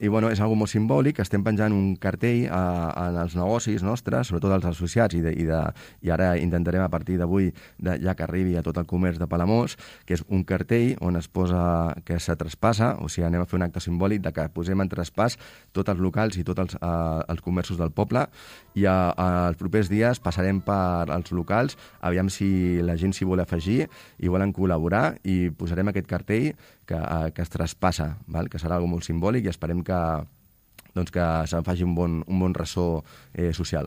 I bueno, és algo molt simbòlic, estem penjant un cartell en els negocis nostres, sobretot als associats, i ara intentarem a partir d'avui, ja que arribi a tot el comerç de Palamós, que és un cartell on es posa que se traspassa, o sigui, anem a fer un acte simbòlic de que posem en traspàs tots els locals i tots els comerços del poble, i els propers dies passarem per als locals, aviam si la gent s'hi vol afegir i volen col·laborar, i posarem aquest cartell que es traspassa, val? Que serà algo molt simbòlic, i esperem que se'n faci un bon ressò social.